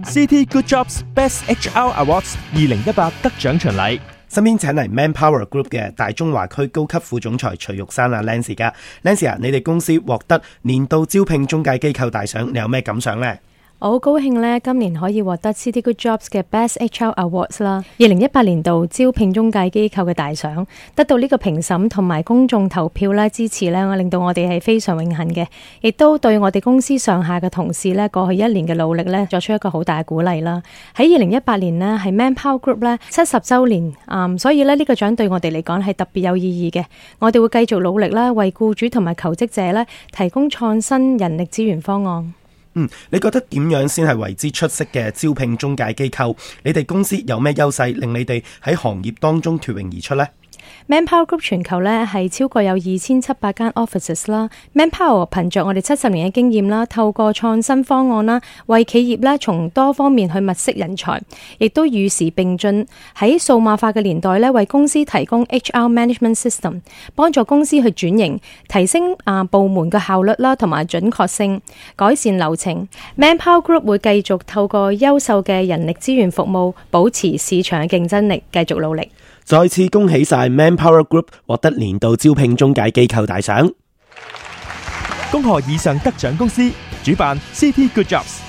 City Good Jobs Best HR Awards 2018得獎巡禮。身邊請嚟 Manpower Group 嘅大中華區高級副總裁徐玉山啊 Lancy 噶 ，Lancy 啊，你哋公司獲得年度招聘中介機構大獎，你有咩感想呢？我好高興呢，今年可以獲得 City Good Jobs 嘅 Best HR Awards 啦，2018年度招聘中介機構嘅大獎，得到呢個評審同埋公眾投票咧支持呢，令到我哋係非常榮幸嘅，亦都對我哋公司上下嘅同事呢，過去1年嘅努力呢，作出一個好大嘅鼓勵啦。喺2018年呢，係 Manpower Group 呢70週年，所以呢個獎對我哋嚟講係特別有意義嘅。我哋會繼續努力啦，為僱主同埋求職者呢提供創新人力資源方案。你覺得點樣先係為之出色嘅招聘中介機構？你哋公司有咩優勢令你哋喺行業當中脫穎而出呢？ Manpower Group 全球呢係超過有2700間 offices 啦。Manpower 憑着我哋70年嘅經驗啦，透過創新方案啦，為企業呢從多方面去物色人才，亦都與時並進，喺數碼化嘅年代呢，為公司提供 HR Management System， 幫助公司去轉型，提升部門嘅效率啦，同埋準確性，改善流程。Manpower Group 會繼續透過優秀嘅人力資源服務，保持市場嘅競爭力，繼續努力。再次恭喜晒 Manpower Group 獲得年度招聘中介機構大獎。恭賀以上得獎公司，主辦 City Good Jobs。